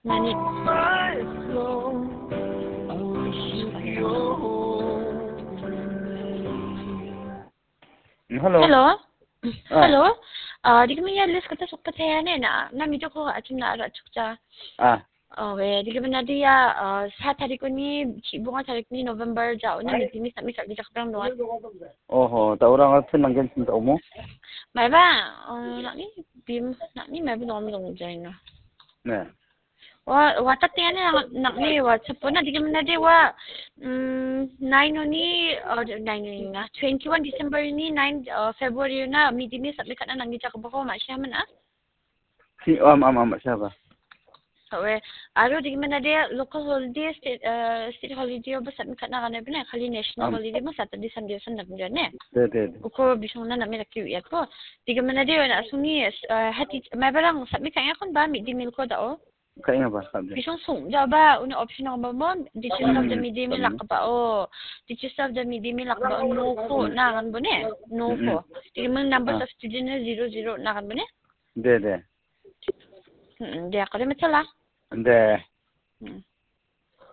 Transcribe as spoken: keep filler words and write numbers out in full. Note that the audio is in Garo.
Nani? Mm, hello. Hello? Ah. Hello? Uh, dikimi ya list kata sokpa tayane na, na mi joko achim na ara chukcha. Ah, Oh, we, dikimi na dia, uh, sa tarikuni, chi bunga tarikuni November ja, una meeting ni sami kak dijak perang doan. Oho, ta orang apa nanggen cinta umu? Mai ba, uh, nak ni, bim, nak ni, mai ba dong dong jaina. Nah. Wa, wa ta tiane nak, nak ni, wa, sepuna dikimi na dia, wa, mm, nine ni, uh, nine ni na, twenty-one December ni, nine, uh, February na, meeting ni sami kak na nanggi jak baho, ma siya mana? Si, am, am, am, siapa? Awe, aro dikimi na dia local holiday, state, uh, state holiday oba sami kak na gane bine, kali national Am. Holiday ma Saturday, Sunday, Sunday bine ne. De, de, de. Uko bisong na nami laki ya ko. Dikimi na dia na suni, uh, hati, mai barang sami kak ya kon ba, midi mil ko da o. Kak ya ba, kak de. Bisong sung ja ba, uni option oba mo, teachers of the Hmm. midi mil lak ba o. Teachers of the midi mil lak ba o, no ko na gan bine, no ko. Dikimi number Ah. of student na zero zero na gan bine. De, de. Hmm, dia kali machala. De. Hmm.